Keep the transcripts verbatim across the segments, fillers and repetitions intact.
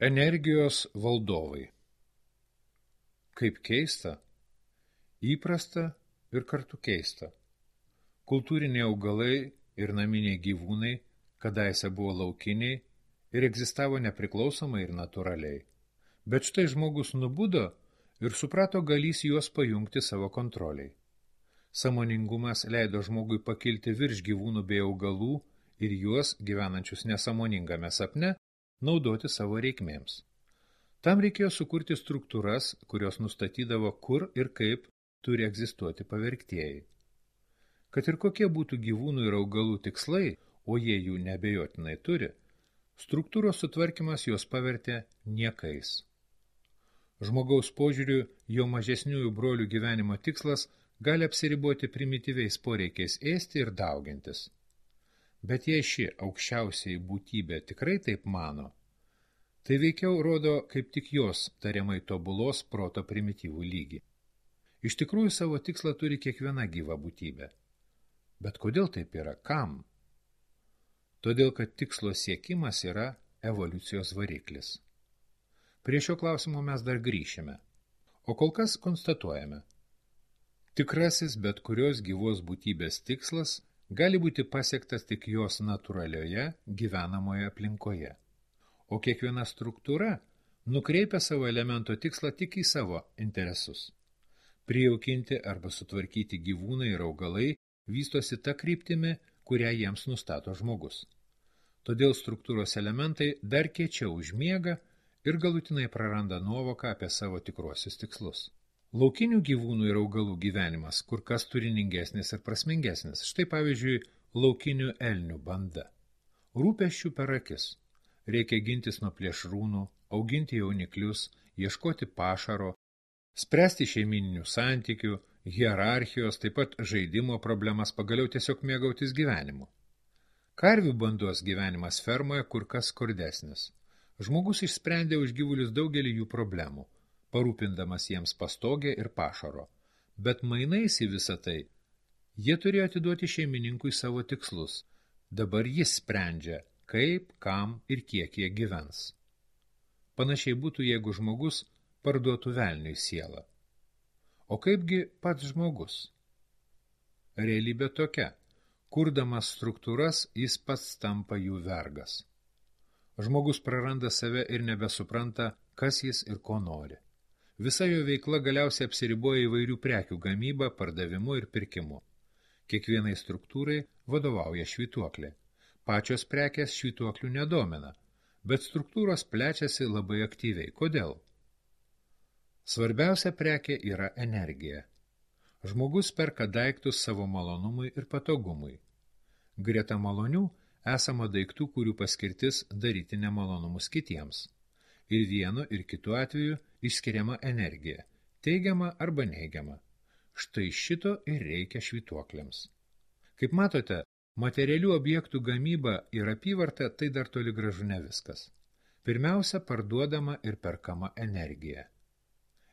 Energijos valdovai. Kaip keista, įprasta ir kartu keista. Kultūriniai augalai ir naminiai gyvūnai kadaise buvo laukiniai ir egzistavo nepriklausomai ir natūraliai. Bet štai žmogus nubudo ir suprato galys juos pajungti savo kontroliai. Sąmoningumas leido žmogui pakilti virš gyvūnų bei augalų ir juos, gyvenančius nesąmoningame sapne, naudoti savo reikmėms. Tam reikėjo sukurti struktūras, kurios nustatydavo, kur ir kaip turi egzistuoti pavergtieji. Kad ir kokie būtų gyvūnų ir augalų tikslai, o jie jų neabejotinai turi, struktūros sutvarkymas juos pavertė niekais. Žmogaus požiūriu, jo mažesniųjų brolių gyvenimo tikslas gali apsiriboti primityviais poreikiais ėsti ir daugintis. Bet jei ši aukščiausiai būtybė tikrai taip mano, tai veikiau rodo kaip tik jos tariamai tobulos proto primityvų lygį. Iš tikrųjų savo tikslą turi kiekviena gyva būtybė. Bet kodėl taip yra? Kam? Todėl, kad tikslo siekimas yra evoliucijos variklis. Prie šio klausimo mes dar grįšime. O kol kas konstatuojame. Tikrasis bet kurios gyvos būtybės tikslas gali būti pasiektas tik jos natūralioje gyvenamoje aplinkoje. O kiekviena struktūra nukreipia savo elemento tikslą tik į savo interesus. Prijaukinti arba sutvarkyti gyvūnai ir augalai vystosi ta kryptimi, kurią jiems nustato žmogus. Todėl struktūros elementai dar kiečiau užmiega ir galutinai praranda nuovoką apie savo tikruosius tikslus. Laukinių gyvūnų ir augalų gyvenimas kur kas turiningesnis ir prasmingesnis. Štai pavyzdžiui, laukinių elnių banda. Rūpesčių per akis. Reikia gintis nuo plėšrūnų, auginti jauniklius, ieškoti pašaro, spręsti šeimininių santykių, hierarchijos, taip pat žaidimo problemas, pagaliau tiesiog mėgautis gyvenimu. Karvių bandos gyvenimas fermoje kur kas skurdesnis. Žmogus išsprendė už gyvulius daugelį jų problemų, parūpindamas jiems pastogę ir pašaro, bet mainais į visą tai jie turėjo atiduoti šeimininkui savo tikslus. Dabar jis sprendžia, kaip, kam ir kiek jie gyvens. Panašiai būtų, jeigu žmogus parduotų velniui sielą. O kaipgi pats žmogus? Realybė tokia, kurdamas struktūras, jis pats tampa jų vergas. Žmogus praranda save ir nebesupranta, kas jis ir ko nori. Visa jo veikla galiausiai apsiriboja įvairių prekių gamybą, pardavimu ir pirkimu. Kiekvienai struktūrai vadovauja švytuoklė. Pačios prekės švytuoklių nedomina, bet struktūros plečiasi labai aktyviai. Kodėl? Svarbiausia prekė yra energija. Žmogus perka daiktus savo malonumui ir patogumui. Greta malonių esama daiktų, kurių paskirtis daryti nemalonumus kitiems. Ir vienu ir kitu atveju išskiriama energija, teigiama arba neigiama. Štai šito ir reikia švytuokliams. Kaip matote, materialių objektų gamyba ir apyvarta tai dar toli gražu ne viskas. Pirmiausia, parduodama ir perkama energija.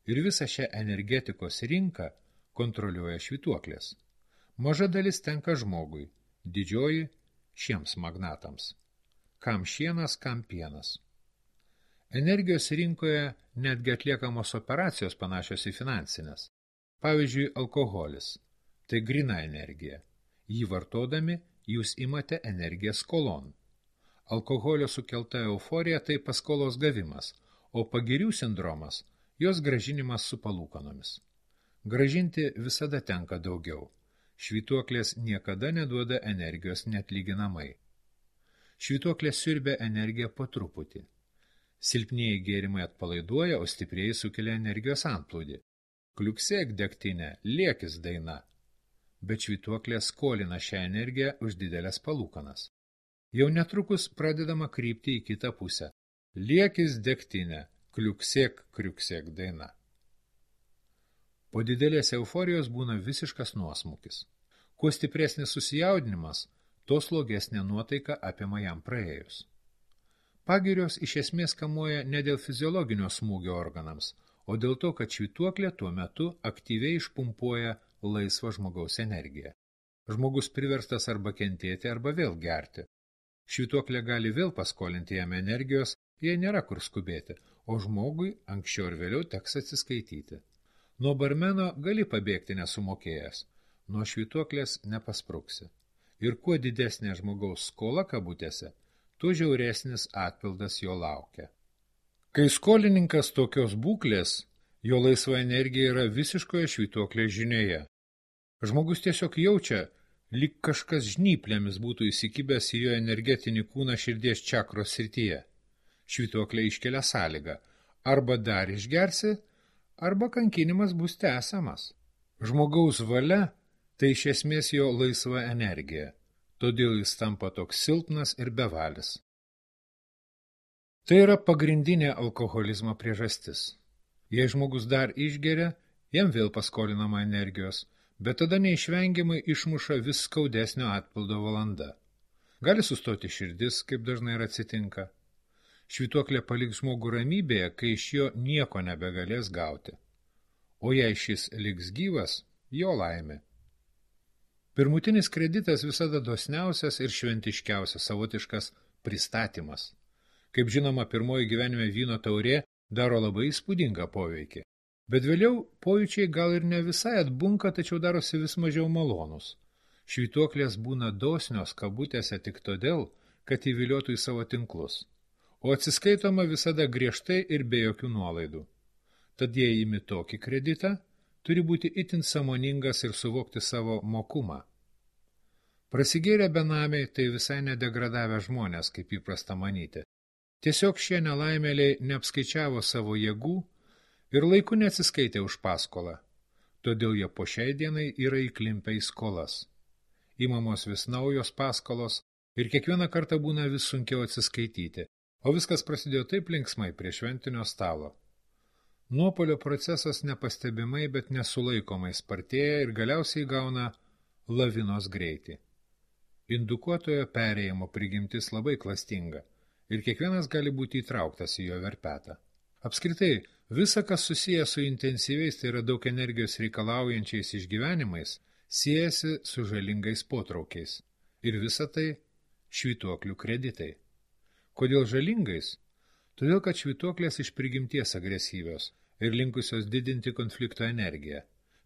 Ir visą šią energetikos rinką kontroliuoja švytuoklės. Maža dalis tenka žmogui, didžioji šiems magnatams. Kam šienas, kam pienas. Energijos rinkoje netgi atliekamos operacijos panašios į finansinės. Pavyzdžiui, alkoholis – tai gryna energija. Jį vartodami jūs imate energiją skolon. Alkoholio sukelta euforija – tai paskolos gavimas, o pagirių sindromas – jos gražinimas su palūkanomis. Gražinti visada tenka daugiau. Švytuoklės niekada neduoda energijos neatlyginamai. Švytuoklės siurbia energiją po truputį. Silpnieji gėrimai atpalaiduoja, o stiprieji sukelia energijos antplūdį. Kliuksėk degtinę, liekis daina. Bet švytuoklė skolina šią energiją už didelės palūkanas. Jau netrukus pradedama krypti į kitą pusę. Liekis degtinę, kliuksėk, kriuksėk daina. Po didelės euforijos būna visiškas nuosmukis. Kuo stipresnis susijaudinimas, to slogesnė nuotaika apima jam praėjus. Pagirios iš esmės kamuoja ne dėl fiziologinio smūgio organams, o dėl to, kad švytuoklė tuo metu aktyviai išpumpuoja laisvą žmogaus energiją. Žmogus priverstas arba kentėti, arba vėl gerti. Švytuoklė gali vėl paskolinti jam energijos, jei nėra kur skubėti, o žmogui anksčiau ir vėliau teks atsiskaityti. Nuo barmeno gali pabėgti nesumokėjęs, nuo švytuoklės nepaspruksi. Ir kuo didesnė žmogaus skola kabutėse, tuo žiauresnis atpildas jo laukia. Kai skolininkas tokios būklės, jo laisva energija yra visiškoje švytuoklės žinioje. Žmogus tiesiog jaučia, lyg kažkas žnyplėmis būtų įsikibęs į jo energetinį kūną širdies čakros srityje. Švytuoklė iškelia sąlygą, arba dar išgersi, arba kankinimas bus tęsiamas. Žmogaus valia tai iš esmės jo laisva energija, todėl jis tampa toks silpnas ir bevalis. Tai yra pagrindinė alkoholizmo priežastis. Jei žmogus dar išgeria, jam vėl paskolinama energijos, bet tada neišvengiamai išmuša vis skaudesnio atpildo valanda. Gali sustoti širdis, kaip dažnai ir atsitinka. Švytuoklė paliks žmogų ramybėje, kai iš jo nieko nebegalės gauti. O jei šis liks gyvas, jo laimė. Pirmutinis kreditas visada dosniausias ir šventiškiausias savotiškas pristatymas. Kaip žinoma, pirmoji gyvenime vyno taurė daro labai įspūdingą poveikį. Bet vėliau pojūčiai gal ir ne visai atbunka, tačiau darosi vis mažiau malonus. Švytuoklės būna dosnios kabutėse tik todėl, kad įviliotų į savo tinklus. O atsiskaitoma visada griežtai ir be jokių nuolaidų. Tad jei imi tokį kreditą, turi būti itin sąmoningas ir suvokti savo mokumą. Prasigėrę benamiai tai visai nedegradavę žmonės, kaip įprasta manyti. Tiesiog šie nelaimėliai neapskaičiavo savo jėgų ir laiku neatsiskaitė už paskolą. Todėl jie po šiai dienai yra įklimpę į skolas. Įmamos vis naujos paskolos ir kiekvieną kartą būna vis sunkiau atsiskaityti, o viskas prasidėjo taip linksmai prie šventinio stalo. Nuopolio procesas nepastebimai, bet nesulaikomai spartėja ir galiausiai gauna lavinos greitį. Indukuotojo perėjimo prigimtis labai klastinga ir kiekvienas gali būti įtrauktas į jo verpetą. Apskritai, visa, kas susiję su intensyviais, tai yra daug energijos reikalaujančiais išgyvenimais, siejasi su žalingais potraukiais. Ir visa tai švytuoklių kreditai. Kodėl žalingais? Todėl, kad švytuoklės iš prigimties agresyvios ir linkusios didinti konflikto energiją.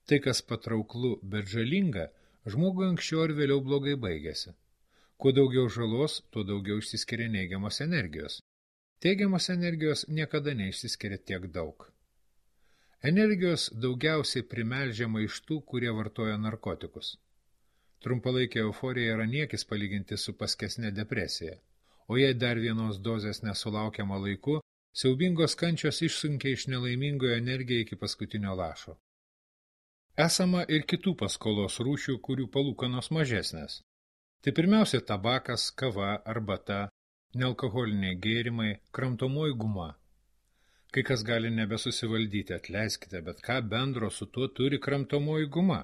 Tai, kas patrauklu, bet žalinga, žmogui anksčiau ar vėliau blogai baigėsi. Kuo daugiau žalos, tuo daugiau išsiskiria neigiamos energijos. Teigiamos energijos niekada neišsiskiria tiek daug. Energijos daugiausiai primelžiama iš tų, kurie vartoja narkotikus. Trumpalaikė euforija yra niekis palyginti su paskesne depresija, o jei dar vienos dozės nesulaukiama laiku, siaubingos kančios išsunkia iš nelaimingojo energiją iki paskutinio lašo. Esama ir kitų paskolos rūšių, kurių palūkanos mažesnės. Tai pirmiausia tabakas, kava, arbata, nealkoholiniai gėrimai, kramtomoji guma. Kai kas gali nebesusivaldyti, atleiskite, bet ką bendro su tuo turi kramtomoji guma?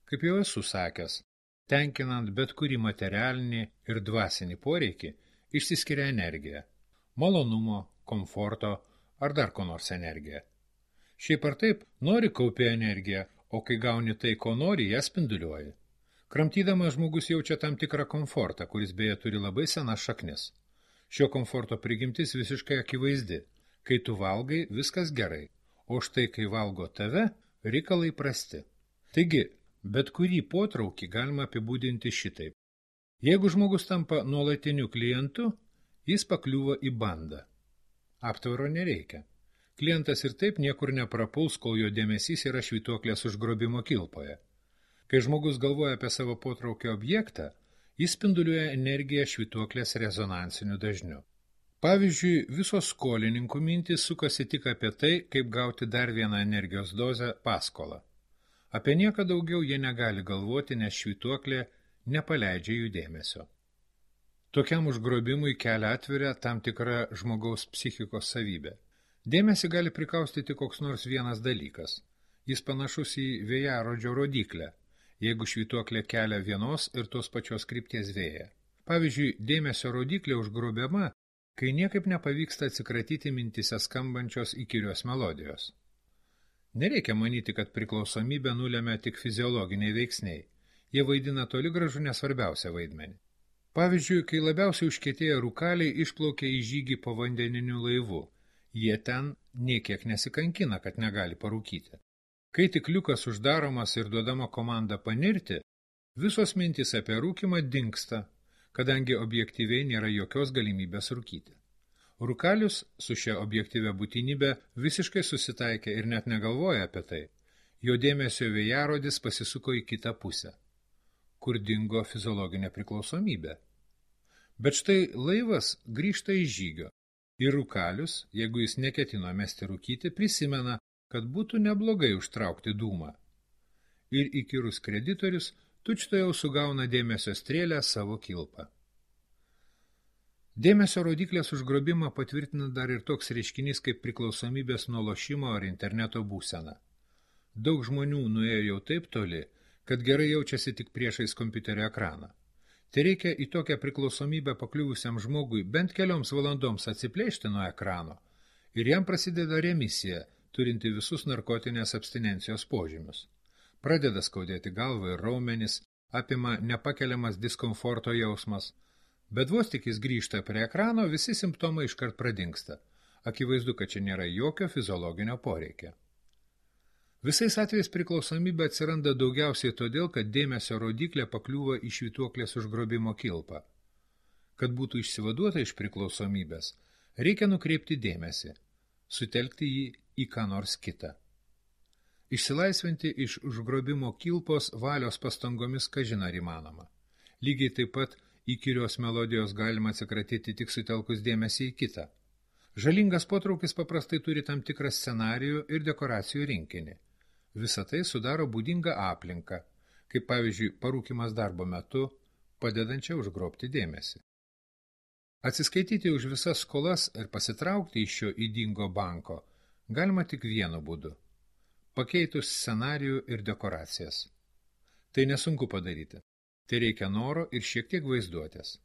Kaip jau esu sakęs, tenkinant bet kurį materialinį ir dvasinį poreikį, išsiskiria energija, malonumo, komforto ar dar ko nors energija. Šiaip ar taip, nori kaupi energiją, o kai gauni tai, ko nori, ją spinduliuoji. Kramtydamas žmogus jaučia tam tikrą komfortą, kuris beje turi labai senas šaknis. Šio komforto prigimtis visiškai akivaizdi. Kai tu valgai, viskas gerai, o štai kai valgo tave, reikalai prasti. Taigi, bet kurį potraukį galima apibūdinti šitaip. Jeigu žmogus tampa nuolatiniu klientu, jis pakliūva į bandą. Aptvaro nereikia. Klientas ir taip niekur neprapuls, kol jo dėmesys yra švytuoklės užgrobimo kilpoje. Kai žmogus galvoja apie savo potraukio objektą, jis spinduliuoja energiją švytuoklės rezonansiniu dažniu. Pavyzdžiui, visos skolininkų mintys sukasi tik apie tai, kaip gauti dar vieną energijos dozę paskolą. Apie nieką daugiau jie negali galvoti, nes švytuoklė nepaleidžia jų dėmesio. Tokiam užgrobimui kelią atveria tam tikra žmogaus psichikos savybė. Dėmesį gali prikaustyti koks nors vienas dalykas. Jis panašus į vėjarodžio rodiklę, jeigu švytuoklė kelia vienos ir tos pačios krypties vėją. Pavyzdžiui, dėmesio rodiklė užgrobiama, kai niekaip nepavyksta atsikratyti mintise skambančios įkyrios melodijos. Nereikia manyti, kad priklausomybę nulemia tik fiziologiniai veiksniai. Jie vaidina toli gražu nesvarbiausią vaidmenį. Pavyzdžiui, kai labiausiai užkietėję rūkaliai išplaukia į žygį povandeniniu laivu, jie ten niekiek nesikankina, kad negali parūkyti. Kai tik liukas uždaromas ir duodama komanda panirti, visos mintys apie rūkimą dingsta, kadangi objektyviai nėra jokios galimybės rūkyti. Rūkalius su šia objektyvia būtinybė visiškai susitaikė ir net negalvoja apie tai. Jo dėmesio vėjarodis pasisuko į kitą pusę, kur dingo fiziologinė priklausomybė. Bet štai laivas grįžta iš žygio ir rūkalius, jeigu jis neketino mesti rūkyti, prisimena, kad būtų neblogai užtraukti dūmą. Ir įkyrus kreditorius tučtuojau sugauna dėmesio strėlę savo kilpą. Dėmesio rodiklės užgrobimą patvirtina dar ir toks reiškinys kaip priklausomybės nuo lošimo ar interneto būsena. Daug žmonių nuėjo jau taip toli, kad gerai jaučiasi tik priešais kompiuterio ekraną. Tai reikia į tokią priklausomybę pakliuvusiam žmogui bent kelioms valandoms atsiplėšti nuo ekrano ir jam prasideda remisija, turinti visus narkotinės abstinencijos požymius. Pradeda skaudėti galvą ir raumenis, apima nepakeliamas diskomforto jausmas, bet vos tik jis grįžta prie ekrano, visi simptomai iškart pradingsta. Akivaizdu, kad čia nėra jokio fiziologinio poreikio. Visais atvejais priklausomybė atsiranda daugiausiai todėl, kad dėmesio rodiklė pakliūva į švytuoklės užgrobimo kilpą. Kad būtų išsivaduota iš priklausomybės, reikia nukreipti dėmesį, sutelkti jį į ką nors kitą. Išsilaisvinti iš užgrobimo kilpos valios pastangomis kažin ar įmanoma. Lygiai taip pat įkyrios melodijos galima atsikratyti tik sutelkus dėmesį į kitą. Žalingas potraukis paprastai turi tam tikrą scenarijų ir dekoracijų rinkinį. Visa tai sudaro būdingą aplinką, kaip pavyzdžiui parūkimas darbo metu, padedančią užgrobti dėmesį. Atsiskaityti už visas skolas ir pasitraukti iš šio ydingo banko galima tik vienu būdu – pakeitus scenarijų ir dekoracijas. Tai nesunku padaryti. Tai reikia noro ir šiek tiek vaizduotės.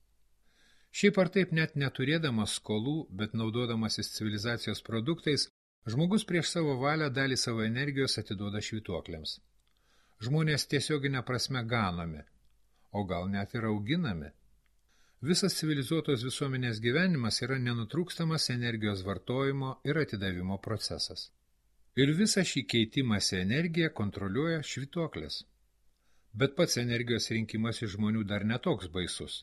Šiaip ar taip net neturėdamas skolų, bet naudodamasis civilizacijos produktais, žmogus prieš savo valią dalį savo energijos atiduoda švytuokliams. Žmonės tiesioginė prasme ganomi, o gal net ir auginami. Visas civilizuotos visuomenės gyvenimas yra nenutrūkstamas energijos vartojimo ir atidavimo procesas. Ir visą šį keitimąsi energiją kontroliuoja švytuoklės. Bet pats energijos rinkimas iš žmonių dar netoks baisus.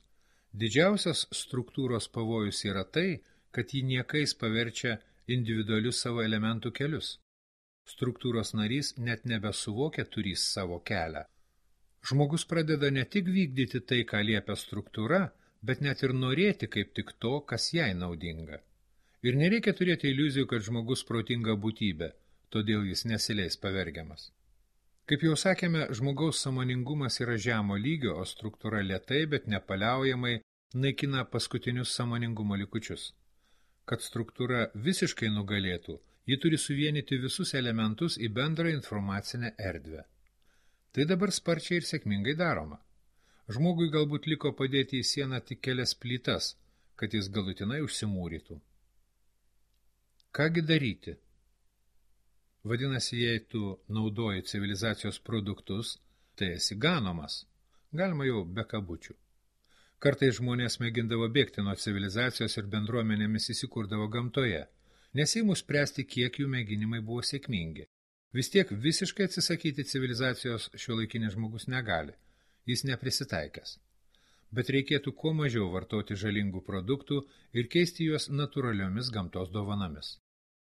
Didžiausias struktūros pavojus yra tai, kad jį niekais paverčia individualius savo elementų kelius. Struktūros narys net nebesuvokia turys savo kelią. Žmogus pradeda ne tik vykdyti tai, ką liepia struktūra, bet net ir norėti kaip tik to, kas jai naudinga. Ir nereikia turėti iliuzijų, kad žmogus protinga būtybė, todėl jis nesileis pavergiamas. Kaip jau sakėme, žmogaus sąmoningumas yra žemo lygio, o struktūra lėtai, bet nepaliaujamai naikina paskutinius sąmoningumo likučius. Kad struktūra visiškai nugalėtų, ji turi suvienyti visus elementus į bendrą informacinę erdvę. Tai dabar sparčiai ir sėkmingai daroma. Žmogui galbūt liko padėti į sieną tik kelias plytas, kad jis galutinai užsimūrytų. Kągi daryti? Vadinasi, jei tu naudoji civilizacijos produktus, tai esi ganomas. Galima jau be kabučių. Kartais žmonės mėgindavo bėgti nuo civilizacijos ir bendruomenėmis įsikurdavo gamtoje, neseimu spręsti, kiek jų mėginimai buvo sėkmingi. Vis tiek visiškai atsisakyti civilizacijos šiuolaikinis žmogus negali, jis neprisitaikęs. Bet reikėtų kuo mažiau vartoti žalingų produktų ir keisti juos natūraliomis gamtos dovanomis.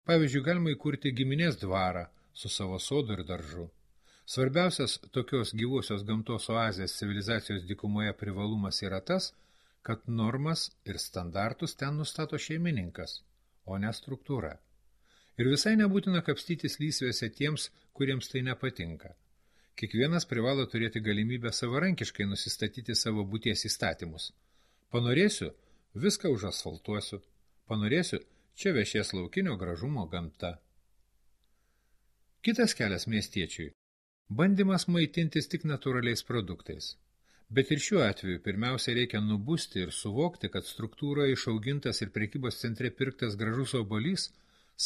Pavyzdžiui, galima įkurti giminės dvarą su savo sodu ir daržu. Svarbiausias tokios gyvosios gamtos oazės civilizacijos dykumoje privalumas yra tas, kad normas ir standartus ten nustato šeimininkas, o ne struktūra. Ir visai nebūtina kapstytis lysvėse tiems, kuriems tai nepatinka. Kiekvienas privalo turėti galimybę savarankiškai nusistatyti savo būties įstatymus. Panorėsiu, viską užasfaltuosiu. Panorėsiu, čia viešės laukinio gražumo gamta. Kitas kelias miestiečiui – bandymas maitintis tik natūraliais produktais. Bet ir šiuo atveju pirmiausia reikia nubusti ir suvokti, kad struktūroje išaugintas ir prekybos centre pirktas gražus obuolys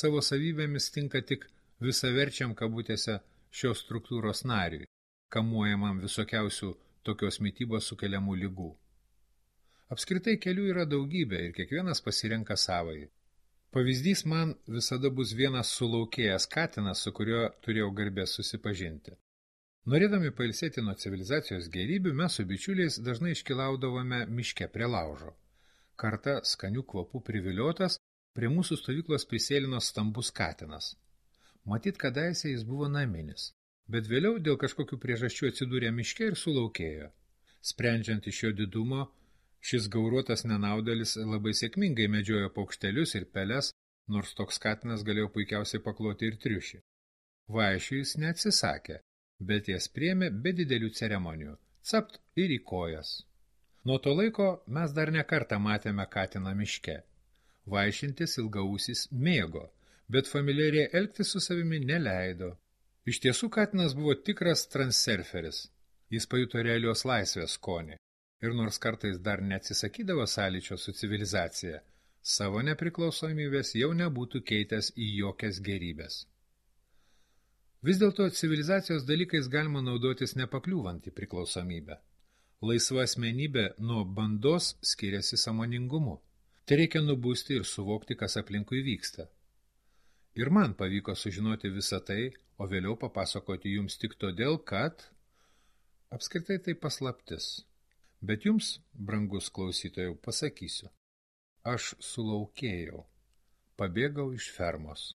savo savybėmis tinka tik visaverčiam kabutėse šios struktūros nariui, kamuojamam visokiausių tokios mitybos sukeliamų ligų. Apskritai kelių yra daugybė ir kiekvienas pasirenka savąjį. Pavyzdys man visada bus vienas sulaukėjęs katinas, su kuriuo turėjau garbės susipažinti. Norėdami pailsėti nuo civilizacijos gėrybių, mes su bičiuliais dažnai iškilaudavome miške prie laužo. Kartą skanių kvapų priviliotas, prie mūsų stovyklos prisėlino stambus katinas. Matyt, kadaise jis buvo naminis, bet vėliau dėl kažkokių priežasčių atsidūrė miške ir sulaukėjo. Sprendžiant iš jo didumo, šis gauruotas nenaudelis labai sėkmingai medžiojo paukštelius ir peles, nors toks katinas galėjo puikiausiai pakloti ir triušį. Vaišių jis neatsisakė, bet jas priėmė be didelių ceremonijų, capt ir į kojas. Nuo to laiko mes dar ne kartą matėme katiną miške. Vaišintis ilgaausis mėgo, bet familiariai elgtis su savimi neleido. Iš tiesų katinas buvo tikras transurferis. Jis pajuto realios laisvės skonį. Ir nors kartais dar neatsisakydavo sąlyčio su civilizacija, savo nepriklausomybės jau nebūtų keitęs į jokias gerybės. Vis dėlto civilizacijos dalykais galima naudotis nepakliūvant į priklausomybę. Laisva asmenybė nuo bandos skiriasi sąmoningumu. Tai reikia nubusti ir suvokti, kas aplinkui vyksta. Ir man pavyko sužinoti visą tai, o vėliau papasakoti jums tik todėl, kad apskritai tai paslaptis. Bet jums, brangus klausytojau, pasakysiu. Aš sulaukėjau, pabėgau iš fermos.